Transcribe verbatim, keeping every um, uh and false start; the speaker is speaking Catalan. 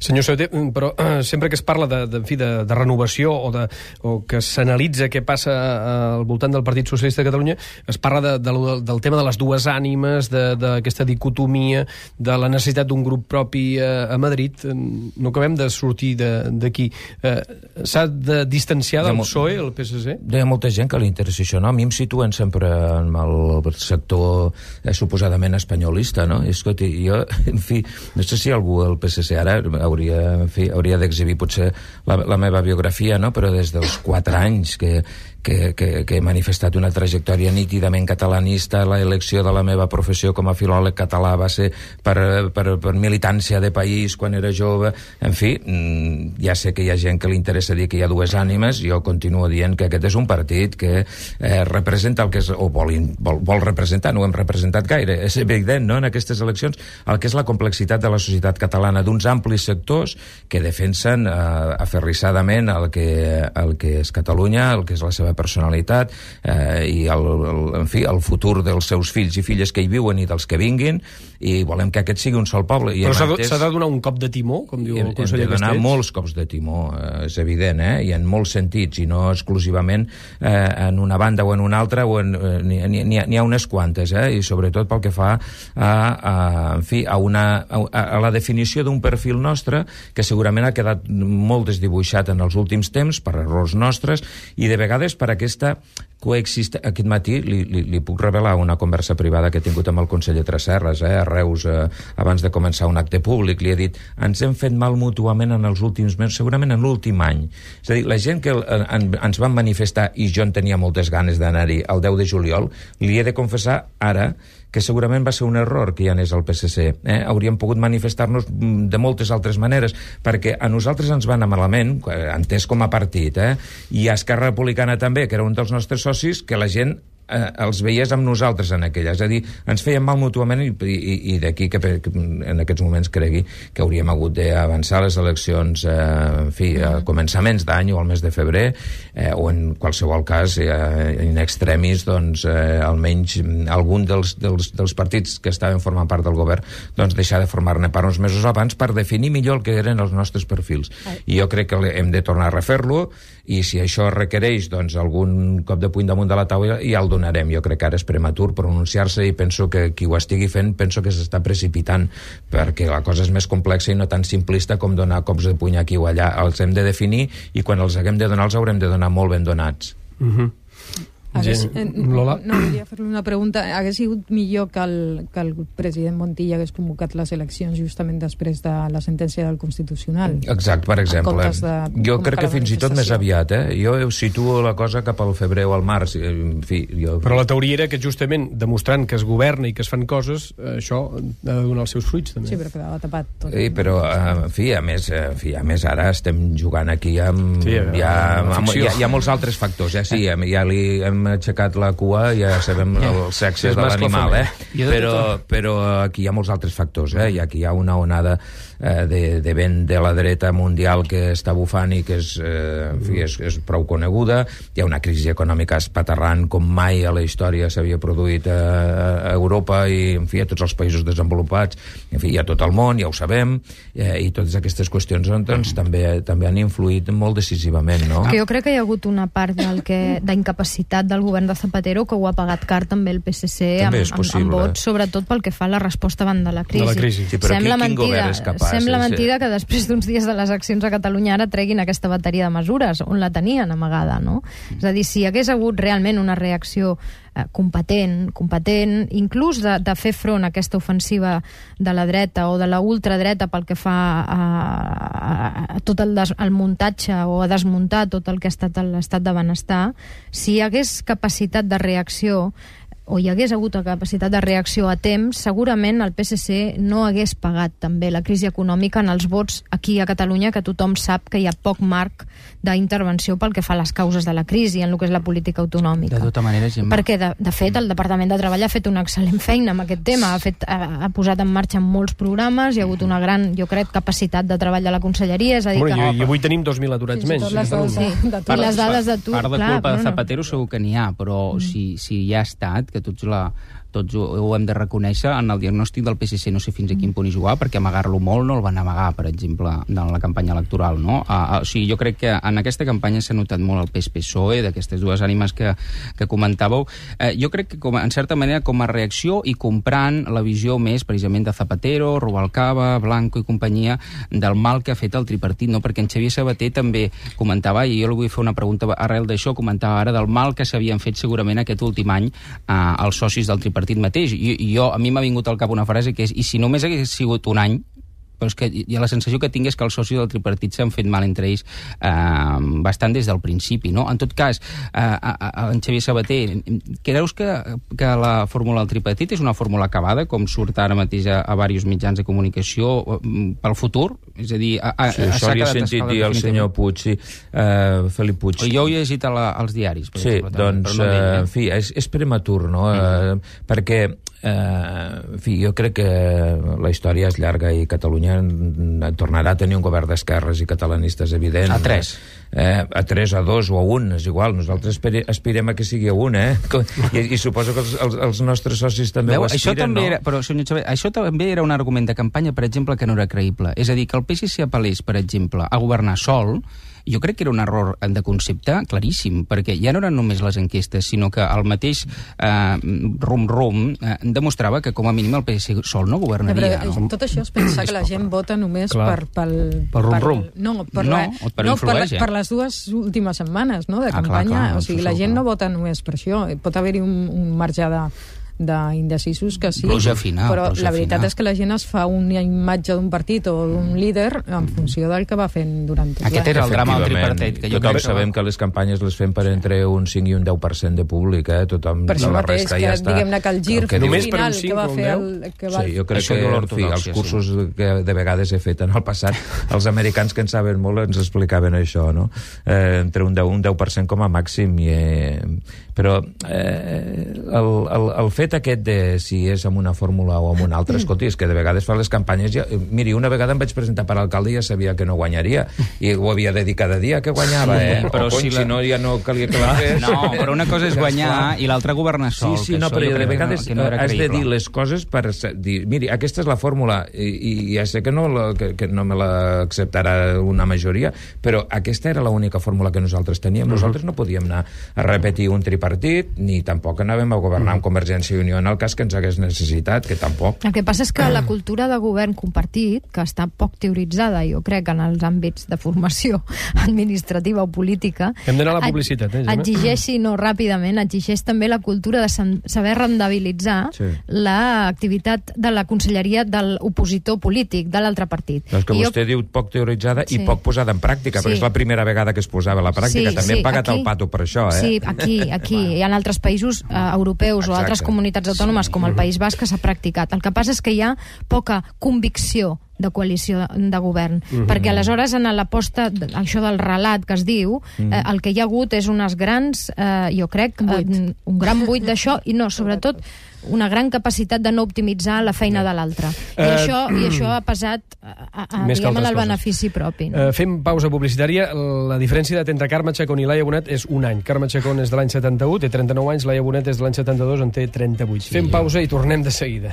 Senyor Sabater, però eh, sempre que es parla de, de, en fi, de, de renovació o, de, o que s'analitza què passa al voltant del Partit Socialista de Catalunya, es parla de, de, del tema de les dues ànimes, d'aquesta dicotomia, de la necessitat d'un grup propi a, a Madrid. No acabem de sortir d'aquí. Eh, S'ha de distanciar del P S O E, el P S C? Hi ha molta gent que li interessa això, no? A mi em situen sempre en el sector eh, suposadament espanyolista, no? I, escolti, jo, en fi, no sé si algú al P S C ara hauria, en fi, hauria d'exhibir potser la, la meva biografia, no? Però des dels quatre anys que, que, que, que he manifestat una trajectòria nítidament catalanista, la elecció de la meva professió com a filòleg català va ser per, per, per militància de país quan era jove. En fi, ja sé que hi ha gent que li interessa dir que hi ha dues ànimes, jo continuo dient que aquest és un partit que eh, representa el que és, o vol, vol, vol representar, no ho hem representat gaire, és evident, no?, en aquestes eleccions, el que és la complexitat de la societat catalana, d'uns amplis sectors que defensen eh, aferrissadament el que, el que és Catalunya, el que és la seva personalitat eh, i el, el, en fi, el futur dels seus fills i filles que hi viuen i dels que vinguin, i volem que aquest sigui un sol poble. I però s'ha de, de donar un cop de timó, com diu el conseller Castells? Hem de donar molts cops de timó, eh, és evident, eh? I en molts sentits, i no exclusivament eh, en una banda o en una altra, o en, eh, n'hi, n'hi, n'hi ha unes quantes, eh? I sobretot pel que fa a, a, en fi, a, una, a, a la definició d'un perfil nostre que segurament ha quedat molt desdibuixat en els últims temps per errors nostres i de vegades per aquesta coexiste... Aquest matí li, li, li puc revelar una conversa privada que he tingut amb el conseller Tresserras, eh, a Reus, eh, abans de començar un acte públic. Li he dit, ens hem fet mal mútuament en els últims mesos, segurament en l'últim any. És a dir, la gent que en, ens van manifestar, i jo en tenia moltes ganes d'anar-hi el deu de juliol, li he de confessar ara que segurament va ser un error que hi anés al P S C. Eh? Hauríem pogut manifestar-nos de moltes altres maneres, perquè a nosaltres ens va anar malament, entès com a partit, eh? I a Esquerra Republicana també, que era un dels nostres socis, que la gent eh, els veiés amb nosaltres en aquella. És a dir, ens feien mal mútuament i, i, i d'aquí que, que en aquests moments cregui que hauríem hagut d'avançar les eleccions eh, en fi, a començaments d'any o al mes de febrer, eh, o en qualsevol cas, eh, in extremis, doncs, eh, almenys algun dels, dels, dels partits que estaven formant part del govern, doncs deixar de formar-ne part uns mesos abans per definir millor el que eren els nostres perfils. I jo crec que hem de tornar a refer-lo, i si això requereix doncs, algun cop de puny damunt de la taula, ja el donarem. Jo crec que ara és prematur pronunciar-se i penso que qui ho estigui fent penso que s'està precipitant, perquè la cosa és més complexa i no tan simplista com donar cops de puny aquí o allà. Els hem de definir i quan els haguem de donar els haurem de donar molt ben donats. Mhm. Hagués, eh, no, volia fer-li una pregunta. Hagués sigut millor que el, que el president Montilla hagués convocat les eleccions justament després de la sentència del Constitucional? Exacte, per exemple. Jo crec que fins i tot més aviat, eh? Jo situo la cosa cap al febrer o al març. En fi, jo... Però la teoria era que justament demostrant que es governa i que es fan coses, això ha de donar els seus fruits, també. Sí, però quedava tapat tot. Sí, però, en fi, a més, en fi, a més ara estem jugant aquí amb... Sí, hi, ha, amb hi, ha, hi ha molts altres factors, eh? Sí, ja li hem aixecat la cua, ja sabem el sexe de l'animal, eh? Però, però aquí hi ha molts altres factors, eh? I aquí hi ha una onada eh, de, de vent de la dreta mundial que està bufant i que és, eh, en fi, és, és prou coneguda. Hi ha una crisi econòmica espaterrant com mai a la història s'havia produït a, a Europa i, en fi, a tots els països desenvolupats. En fi, hi ha tot el món, ja ho sabem, eh, i totes aquestes qüestions doncs, també, també han influït molt decisivament, no? Que jo crec que hi ha hagut una part del que, d'incapacitat del govern de Zapatero que ho ha pagat car també el P S C amb, amb, amb vots, sobretot pel que fa a la resposta davant de la crisi. De la crisi. Sí, però sembla quin, quin mentida, govern és capaç? Sembla és, mentida que després d'uns dies de les accions a Catalunya ara treguin aquesta bateria de mesures, on la tenien amagada, no? Mm. És a dir, si hi hagués hagut realment una reacció eh, competent, competent, inclús de, de fer front a aquesta ofensiva de la dreta o de la ultradreta pel que fa a, a, a tot el, des, el muntatge o a desmuntar tot el que ha estat l'estat de benestar, si hi hagués capacitat de reacció o hi hagués hagut la capacitat de reacció a temps, segurament el P S C no hagués pagat també la crisi econòmica en els vots aquí a Catalunya, que tothom sap que hi ha poc marc d'intervenció pel que fa a les causes de la crisi en el que és la política autonòmica. De tota manera, Gemma... Perquè, de, de fet, el Departament de Treball ha fet una excel·lent feina amb aquest tema, ha, fet, ha, ha posat en marxa molts programes, hi ha hagut una gran, jo crec, capacitat de treball de la conselleria, és a dir que... I, i avui tenim dos mil aturats menys. Sí, sí, i les dades d'atur... Part de culpa de Zapatero segur que n'hi ha, però mm. si, si hi ha estat, que tots la, tots ho, ho hem de reconèixer, en el diagnòstic del P S C no sé fins a quin punt hi jugar, perquè amagar-lo molt no el van amagar, per exemple, en la campanya electoral, no? Uh, uh, o sigui, jo crec que en aquesta campanya s'ha notat molt el pes P S O E, d'aquestes dues ànimes que, que comentàveu. Uh, jo crec que, com, en certa manera, com a reacció i comprant la visió més, precisament, de Zapatero, Rubalcaba, Blanco i companyia, del mal que ha fet el tripartit, no? Perquè en Xavier Sabater també comentava, i jo li vull fer una pregunta arrel d'això, comentava ara del mal que s'havien fet segurament aquest últim any eh, els socis del tripartit mateix. I, i jo, a mi m'ha vingut al cap una frase que és, i si només hagués sigut un any, però és que hi ha la sensació que tinc és que els socis del tripartit s'han fet mal entre ells eh, bastant des del principi, no? En tot cas, eh, a, a, en Xavier Sabater, creus que, que la fórmula del tripartit és una fórmula acabada, com surt ara mateix a, a diversos mitjans de comunicació pel futur? És a dir, a, a, sí, això li he sentit dir al senyor Puig, sí, uh, Felip Puig. Jo ho he llegit a la, als diaris. Per sí, exemple, doncs, no uh, en fi, és, és prematur, no? Mm. Uh, perquè Uh, en fi, jo crec que la història és llarga i Catalunya tornarà a tenir un govern d'esquerres i catalanistes evident. A tres. Eh, a tres, a dos o a un, és igual. Nosaltres aspirem a que sigui a un, eh? I, i suposo que els, els, els nostres socis també Veu, ho aspiren, això també no? Era, però, senyor Xavier, això també era un argument de campanya, per exemple, que no era creïble. És a dir, que el P S C apel·lés, per exemple, a governar sol, jo crec que era un error de concepte claríssim, perquè ja no eren només les enquestes, sinó que el mateix eh, rum-rum eh, demostrava que com a mínim el P S C sol no governaria. Ja, però, no? tot això és pensar que la gent vota només Clar. per... Pel, per rum-rum. No, per, no, la, per, no, per, la, ja. per les dues últimes setmanes, no?, de ah, campanya. clar, clar, o sigui, la gent clar. no vota només per això. Pot haver-hi un, un marge de d'indecisos que sí, pluja fina, però pluja la veritat fina. és que la gent es fa una imatge d'un partit o d'un líder en funció del que va fent durant tot Aquest l'any. era el drama del tripartit. Que jo Tothom crec que sabem va... que les campanyes les fem per entre un cinc i un deu per cent de públic, eh? Tothom, per això la mateix, resta que ja està... diguem-ne que el gir el que només diu... per un final cinc que va o un fer deu? el... Que va... Sí, jo crec Això que diu en fi, els l'ortodòxia, cursos sí. que de vegades he fet en el passat, els americans que en saben molt ens explicaven això, no? Eh, entre un deu, un deu per cent com a màxim. I, eh, però eh, el, el, el fet aquest de si és amb una fórmula o amb una altra, escolti, és que de vegades fa les campanyes... Ja, miri, una vegada em vaig presentar per alcalde i ja sabia que no guanyaria, i ho havia de dir cada dia que guanyava, eh? Però o, cony, si, la... si no, ja no calia que la fes. No, però una cosa és guanyar i l'altra governar sol. Sí, sí, no, però de vegades que no, que no has de dir les coses per dir, miri, aquesta és la fórmula, i, i ja sé que no, la, que, que no me l'acceptarà una majoria, però aquesta era l'única fórmula que nosaltres teníem. Uh-huh. Nosaltres no podíem anar a repetir un tripartit, ni tampoc anàvem a governar amb Convergència i Unió en el cas que ens hagués necessitat, que tampoc. El que passa és que la cultura de govern compartit, que està poc teoritzada, jo crec, en els àmbits de formació administrativa o política... Hem d'anar a la publicitat, eh, Gemma? Exigeixi, no, ràpidament, exigeix també la cultura de saber rendibilitzar sí. l'activitat de la conselleria de l'opositor polític, de l'altre partit. No, és que I vostè jo... diu poc teoritzada sí. i poc posada en pràctica, sí. però és la primera vegada que es posava a la pràctica. Sí, també sí, hem pagat aquí, el pato per això, eh? Sí, aquí, aquí. Hi ha altres països eh, europeus Exacte. o altres comunitats autònomes, sí. com el País Basc, que s'ha practicat. El que passa és que hi ha poca convicció de coalició de govern, mm-hmm. perquè aleshores en l'aposta, això del relat que es diu, mm-hmm. eh, el que hi ha hagut és unes grans, eh, jo crec, eh, un gran buit d'això, i no, sobretot una gran capacitat de no optimitzar la feina de l'altre. I, uh, això, I això ha pesat a, a, diguem, en el benefici propi. No? Uh, fem pausa publicitària. La diferència d'edat entre Carme Chacón i Laia Bonet és un any. Carme Chacón és de l'any setanta-u, té trenta-nou anys, Laia Bonet és de l'any setanta-dos, en té trenta-vuit. Sí. Fem pausa i tornem de seguida.